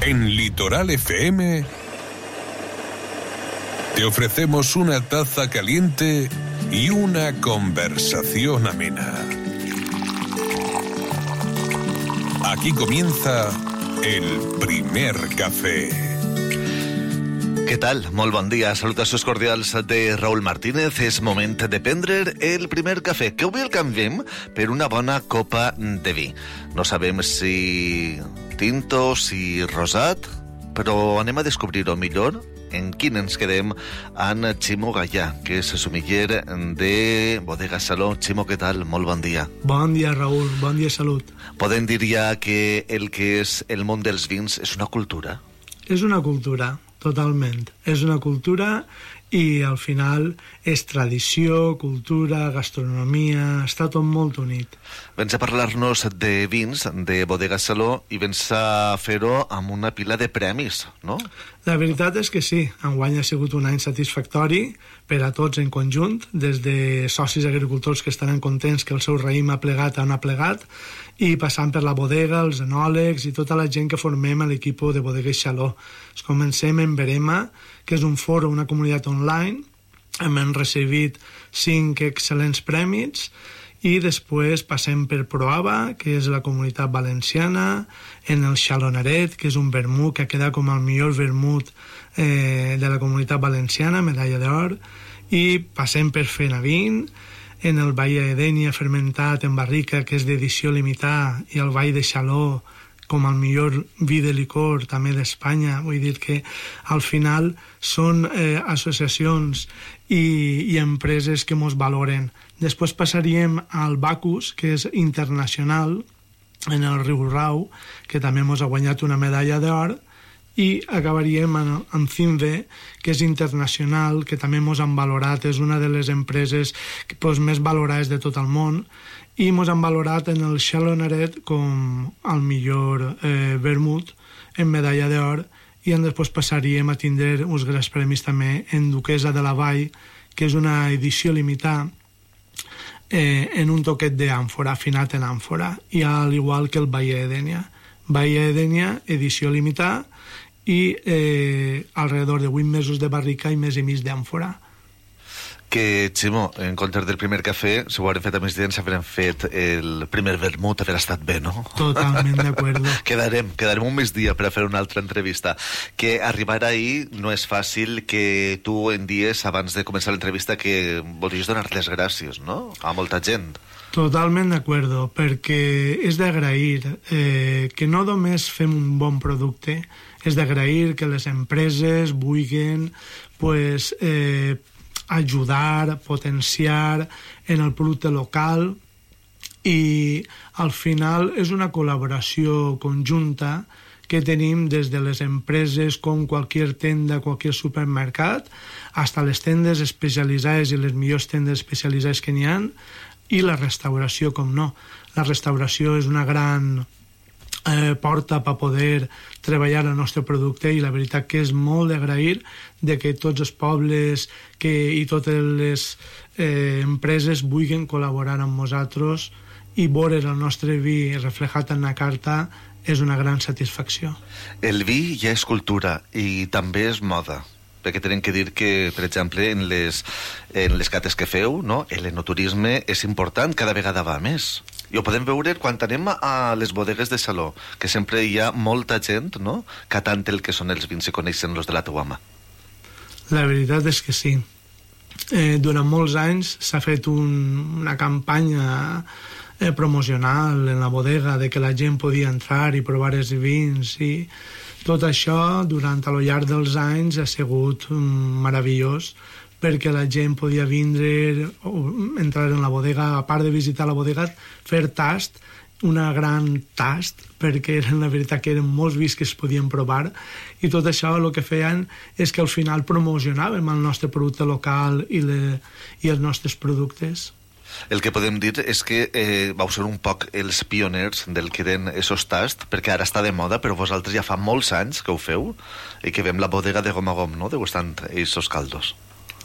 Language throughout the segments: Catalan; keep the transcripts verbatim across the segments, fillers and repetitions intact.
En Litoral F M te ofrecemos una taza caliente y una conversación amena. Aquí comienza el primer café. Què tal? Molt bon dia. Salutacions cordials de Raúl Martínez. És moment de prendre el primer cafè, que avui el canviem per una bona copa de vi. No sabem si tinto, si rosat, però anem a descobrir-ho millor en quin ens quedem amb Ximo Gallà, que és sumiller de Bodega Saló. Ximo, què tal? Molt bon dia. Bon dia, Raúl. Bon dia, salut. Podem dir ja que el que és el món dels vins és una cultura? És una cultura, totalment. És una cultura i al final és tradició, cultura, gastronomia, està tot molt unit. Vens a parlar-nos de vins de Bodega Saló i vens a fer-ho amb una pila de premis, no? La veritat és que sí, enguany ha sigut un any satisfactori per a tots en conjunt, des de socis agricultors que estaran contents que el seu raïm ha plegat on ha plegat, i passant per la bodega, els enòlegs i tota la gent que formem a l'equip de Bodega Saló. Comencem en Verema, que és un foro, una comunitat online, hem recibit cinc excel·lents premis, i després passem per Proava, que és la comunitat valenciana, en el Xalonaret, que és un vermut que ha quedat com el millor vermut eh, de la comunitat valenciana, medalla d'or, i passem per Fenavin, en el Vall d'Edènia fermentat en barrica, que és d'edició limitada, i el Vall de Xaló com el millor vi de licor també d'Espanya. Vull dir que al final són eh, associacions i, i empreses que mos valoren. Després passaríem al Bacus, que és internacional, en el Riu Rau, que també mos ha guanyat una medalla d'or, i acabaríem amb Cinve, que és internacional, que també mos han valorat, és una de les empreses pues, més valorades de tot el món, i mos han valorat en el Xalonaret com el millor eh, vermut en medalla d'or, i després passaríem a tindre uns grans premis també en Duquesa de la Vall, que és una edició limitada eh, en un toquet d'àmfora, afinat en àmfora, i al igual que el Vall d'Edènia. Vall d'Edènia, edició limitada, i eh, alrededor de vuit mesos de barrica i més i mig d'àmfora. Que, Ximo, en comptes del primer cafè, si ho haurem fet a més temps, haurem fet el primer vermut, haver estat bé, no? Totalment d'acord. quedarem, quedarem un més dia per a fer una altra entrevista. Que arribar ahir no és fàcil, que tu en dies, abans de començar l'entrevista, que volies donar les gràcies, no?, a molta gent. Totalment d'acord, perquè és d'agrair eh, que no només fem un bon producte, és d'agrair que les empreses vulguin pues, eh, ajudar, potenciar en el producte local, i al final és una col·laboració conjunta que tenim des de les empreses com qualsevol tenda, qualsevol supermercat, fins a les tendes especialitzades i les millors tendes especialitzades que n'hi ha, i la restauració, com no. La restauració és una gran eh, porta per poder treballar el nostre producte, i la veritat que és molt d'agrair de que tots els pobles que, i totes les eh, empreses vulguin col·laborar amb nosaltres, i veure el nostre vi reflejat en la carta és una gran satisfacció. El vi ja és cultura i també és moda, perquè tenim que dir que, per exemple, en les, en les cates que feu, no?, l'enoturisme és important, cada vegada va més. I ho podem veure quan anem a les bodegues de Saló, que sempre hi ha molta gent, no?, catant el que són els vins i coneixen los de la teua mà. La veritat és que sí. Eh, durant molts anys s'ha fet un, una campanya eh, promocional en la bodega de que la gent podia entrar i provar els vins, i tot això durant a lo llarg dels anys ha sigut um, meravellós, perquè la gent podia vindre o entrar en la bodega, a part de visitar la bodega, fer tast, una gran tast, perquè eren, la veritat que eren molts vins que es podien provar, i tot això el que feien és que al final promocionàvem el nostre producte local i, le, i els nostres productes. El que podem dir és que eh, vau ser un poc els pioners del que eren esos tasts, perquè ara està de moda, però vosaltres ja fa molts anys que ho feu i que veiem la bodega de gom a gom, no?, degustant esos caldos.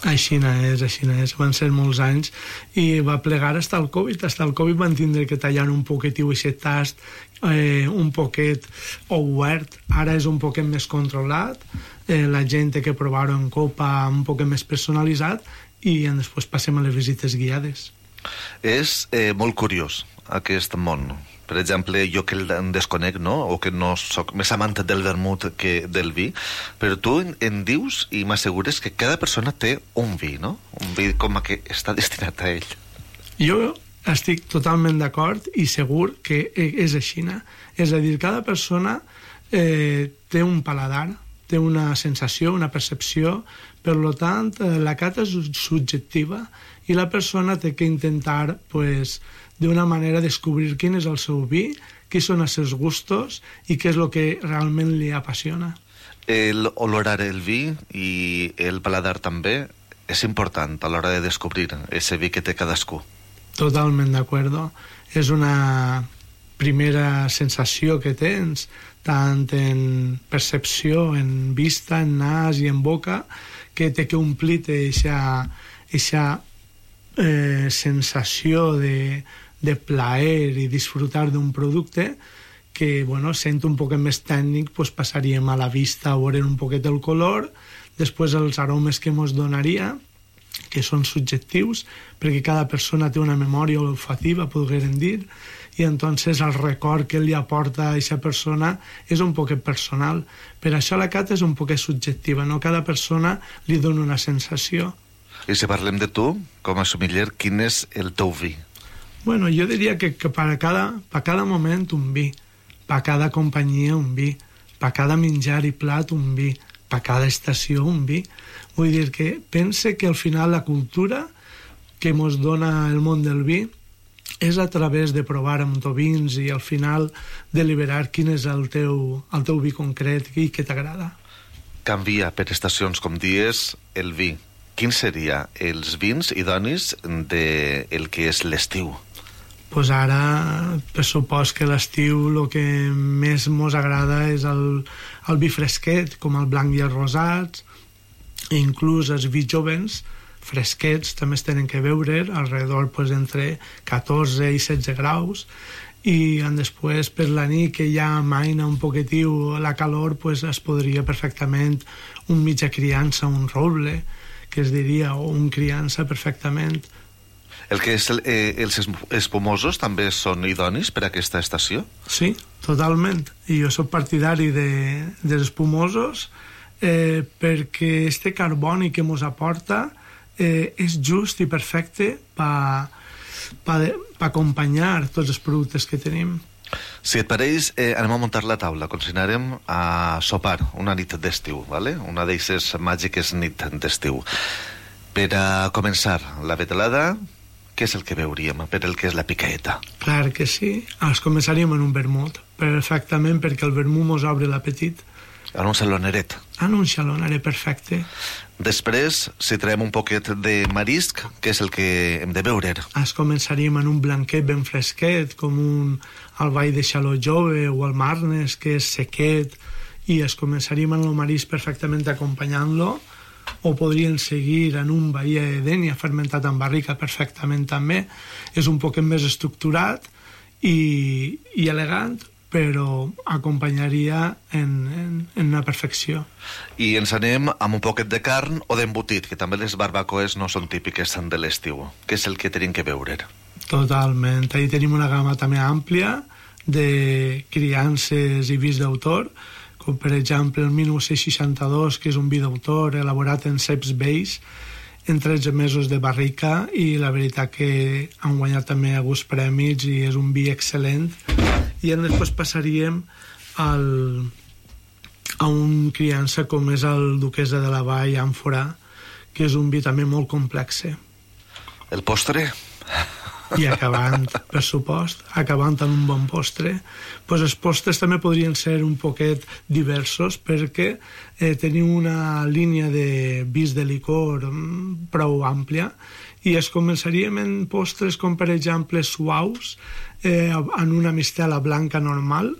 Així és, així és. Van ser molts anys i va plegar fins al Covid. Fins al Covid van tindre que tallar un poquitiu aquest tast eh, un poquet obert, ara és un poquet més controlat, eh, la gent té que provar-ho en copa un poquet més personalitzat i després passem a les visites guiades. És eh, molt curiós aquest món. Per exemple, jo que el desconec, no? O que no soc més amant del vermut que del vi, però tu en, en dius i m'assegures que cada persona té un vi, no? Un vi com que està destinat a ell. Jo estic totalment d'acord i segur que és així. És a dir, cada persona eh, té un paladar, té una sensació, una percepció, per tant, la cata és subjectiva i la persona té que intentar, pues, d'una manera descobrir quin és el seu vi, quins són els seus gustos i què és el que realment li apassiona. El olorar el vi i el paladar també és important a l'hora de descobrir ese vi que té cadascú. Totalment d'acord. És una primera sensació que tens, tant en percepció, en vista, en nas i en boca, que té que omplir-te aquesta eh, sensació de de plaer i disfrutar d'un producte que, bueno, sent un poquet més tècnic, pues passaríem a la vista a veure un poquet el color, després els aromes que ens donaria, que són subjectius, perquè cada persona té una memòria olfativa, podríem dir, i entonces el record que li aporta a aquesta persona és un poquet personal. Per això la cata és un poquet subjectiva, no? Cada persona li dona una sensació. I si parlem de tu, com a sommelier, quin és el teu vi? Bueno, jo diria que, que per, a cada, per a cada moment un vi, per a cada companyia un vi, per a cada menjar i plat un vi, per a cada estació un vi. Vull dir que pense que al final la cultura que ens dona el món del vi és a través de provar amb vins i al final deliberar quin és el teu, el teu vi concret i què t'agrada. Canvia per estacions, com dies, el vi. Quins serien els vins idonis del que és l'estiu? Pues ara, per supost que l'estiu el que més mos agrada és el, el vi fresquet, com el blanc i els rosats, i inclús els vi jovens, fresquets, també es tenen que beure, alrededor pues, entre catorze i setze graus, i després per la nit que ja amaina un poquetiu la calor, pues, es podria perfectament un mitja criança, un roble, que es diria, o un criança perfectament. El que és el, eh, els espumosos també són idonis per a aquesta estació? Sí, totalment. I jo soc partidari de, dels espumosos eh, perquè este carboni que ens aporta eh, és just i perfecte per pa, pa acompanyar tots els productes que tenim. Si et pareix, eh, anem a muntar la taula. Continuarem a sopar una nit d'estiu, ¿vale? Una d'aquestes màgiques nit d'estiu. Per a començar la vetelada, què és el que veuríem per el que és la picaeta? Clar que sí. Els començaríem en un vermut, perfectament, perquè el vermut mos obre l'apetit. En un saloneret. En un saloneret, perfecte. Després, si traiem un poquet de marisc, què és el que hem de beure? Es començaríem en un blanquet ben fresquet, com un alball de xaló jove o el marnes, que és sequet, i es començaríem en el marisc perfectament acompanyant-lo, o podrien seguir en un bahia de dènia fermentat en barrica perfectament també. És un poquet més estructurat i, i elegant, però acompanyaria en, en, en una perfecció. I ens anem amb un poquet de carn o d'embotit, que també les barbacoes no són típiques de l'estiu. Què és el que tenim que beure? Totalment. Ahí tenim una gamma també àmplia de criances i vins d'autor, com per exemple el dinou seixanta-dos, que és un vi d'autor elaborat en ceps vells en tretze mesos de barrica, i la veritat que han guanyat també alguns premis i és un vi excel·lent. I després passaríem al, a un criança com és el Duquesa de la Vall Àmfora, que és un vi també molt complex. El postre? I acabant, per supost, acabant amb un bon postre. Pues els postres també podrien ser un poquet diversos, perquè eh, tenim una línia de vins de licor prou àmplia, i es començaríem en postres com per exemple suaus, eh, en una mistela blanca normal,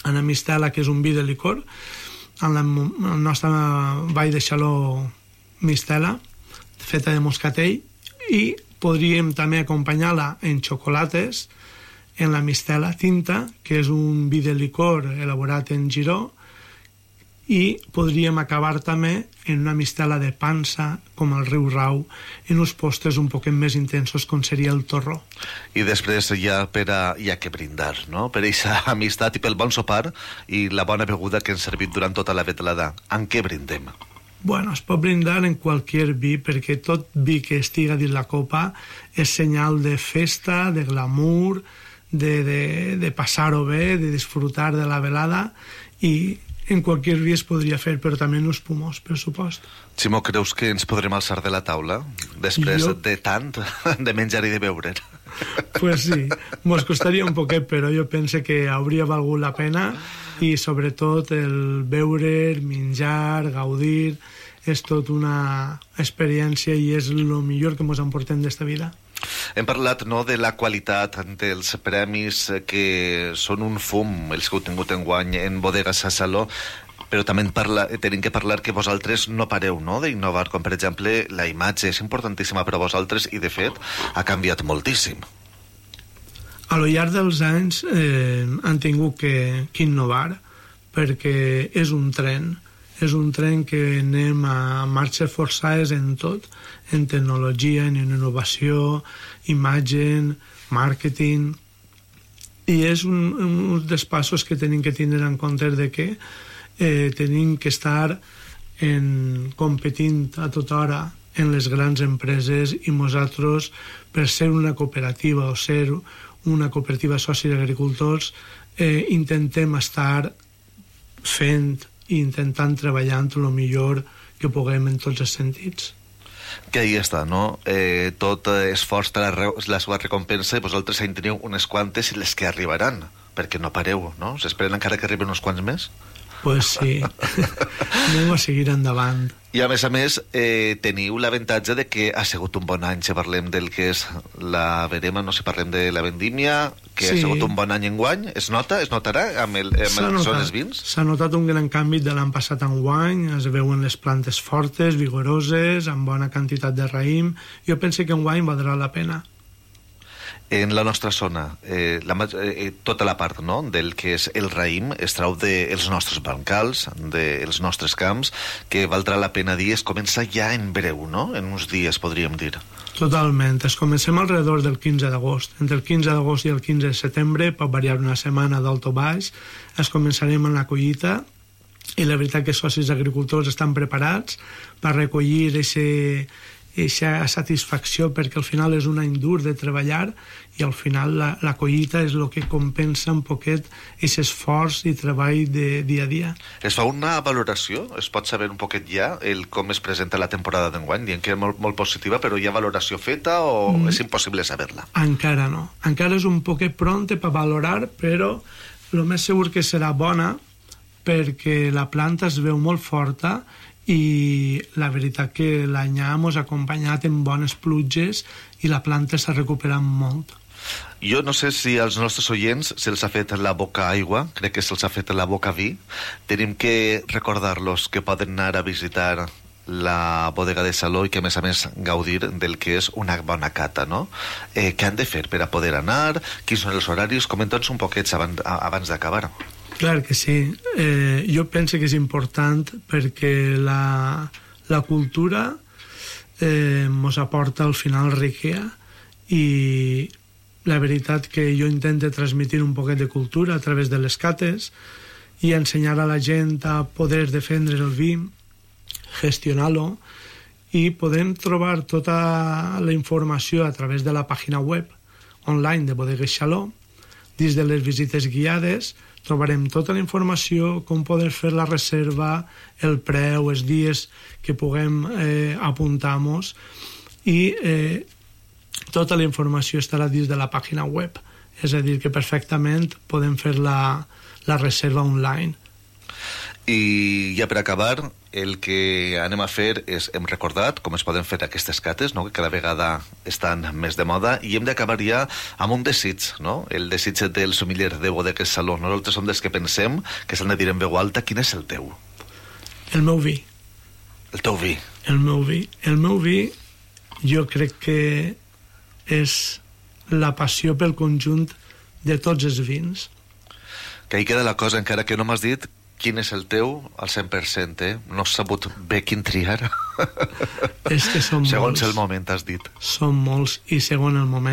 en la mistela que és un vi de licor, en la, el nostre vall de xaló mistela, feta de moscatell, i podríem també acompanyar-la en xocolates en la mistela tinta, que és un vi de licor elaborat en Giró, i podríem acabar també en una mistela de pansa, com el riu Rau, en uns postres un poquet més intensos, com seria el torró. I després ja per a, ja que brindar, no? Per aquesta amistat i pel bon sopar i la bona beguda que hem servit durant tota la vetlada. En què brindem? Bueno, es pot brindar en qualsevol vi, perquè tot vi que estiga dins la copa és senyal de festa, de glamour, de, de, de passar-ho bé, de disfrutar de la velada, i en qualsevol vi es podria fer, però també en els pulmons, per supost. Ximo, creus que ens podrem alçar de la taula després jo... de tant de menjar i de beure? Pues sí, mos costaria un poquet, però jo penso que hauria valgut la pena, i sobretot el beure, menjar, gaudir, és tot una experiència i és el millor que mos emportem d'esta vida. Hem parlat, no, de la qualitat dels premis que són un fum, els que heu tingut enguany en Bodegas Saló, però també parla, tenim que parlar que vosaltres no pareu, no?, d'innovar, com per exemple la imatge és importantíssima per a vosaltres i de fet ha canviat moltíssim. A lo llarg dels anys eh, han tingut que, que innovar, perquè és un tren, és un tren que anem a marxes forçades en tot, en tecnologia, en innovació, imatge, màrqueting, i és un, un dels passos que tenim que tindre en compte de que eh, tenim que estar en, competint a tota hora en les grans empreses, i nosaltres, per ser una cooperativa o ser una cooperativa de socis agricultors, eh, intentem estar fent i intentant treballar el millor que puguem en tots els sentits. Que ahí està, no? Eh, tot esforç té la, la seva recompensa, i vosaltres en teniu unes quantes i les que arribaran, perquè no pareu, no? S'esperen encara que arriben uns quants més? Pues sí, anem a seguir endavant. I a més a més, eh, teniu l'avantatge de que ha sigut un bon any, si parlem del que és la verema, no si parlem de la vendímia, que sí. Ha sigut un bon any enguany, es nota, es notarà amb el, amb el que són els vins? S'ha notat un gran canvi de l'any passat enguany, es veuen les plantes fortes, vigoroses, amb bona quantitat de raïm. Jo penso que enguany valdrà la pena. En la nostra zona, eh, la, eh, tota la part, no?, del que és el raïm es trau dels de nostres bancals, dels de nostres camps, que valdrà la pena dir, es comença ja en breu, no?, en uns dies, podríem dir. Totalment, es comencem alrededor del quinze d'agost. Entre el quinze d'agost i el quinze de setembre, pot variar una setmana d'alt o baix, es començarem en la collita, i la veritat que els socis agricultors estan preparats per recollir aquesta satisfacció, perquè al final és un any dur de treballar, i al final la, la collita és el que compensa un poquet aquest esforç i treball de dia a dia. Es fa una valoració? Es pot saber un poquet ja el com es presenta la temporada d'enguany? Dient que és molt, molt positiva, però hi ha valoració feta o mm. és impossible saber-la? Encara no. Encara és un poquet pronte per valorar, però el més segur que serà bona, perquè la planta es veu molt forta, i la veritat que l'any hemos acompanyat en bones pluges i la planta s'ha recuperat molt. Jo no sé si als nostres oients se'ls ha fet la boca aigua, crec que se'ls ha fet la boca vi. Tenim que recordar-los que poden anar a visitar la bodega de Saló i que a més a més gaudir del que és una bona cata, no? Eh, què han de fer per a poder anar? Quins són els horaris? Comenta'ns un poquet abans, abans d'acabar. Clar que sí. Eh, jo penso que és important perquè la, la cultura eh, mos aporta al final riquea, i la veritat que jo intento transmitir un poquet de cultura a través de les cates i ensenyar a la gent a poder defendre el vi, gestionar-lo, i podem trobar tota la informació a través de la pàgina web online de Bodegues Saló. Dins de les visites guiades trobarem tota la informació, com poder fer la reserva, el preu, els dies que puguem eh, apuntar-nos, i eh, tota la informació estarà dins de la pàgina web. És a dir, que perfectament podem fer la, la reserva online. I ja per acabar, el que anem a fer és, hem recordat com es poden fer aquestes cates, no?, que cada vegada estan més de moda, i hem d'acabar ja amb un desig, no?, el desig del sommelier de Bodegues Saló. Nosaltres som dels que pensem que s'han de dir en veu alta. Quin és el teu? El meu vi. El teu vi? El meu vi. El meu vi jo crec que és la passió pel conjunt de tots els vins. Que ahí queda la cosa, encara que no m'has dit quin és el teu al cent per cent, eh? No has sabut bé quin triar. És que són Segons molts. el moment, has dit. Són molts, i segons el moment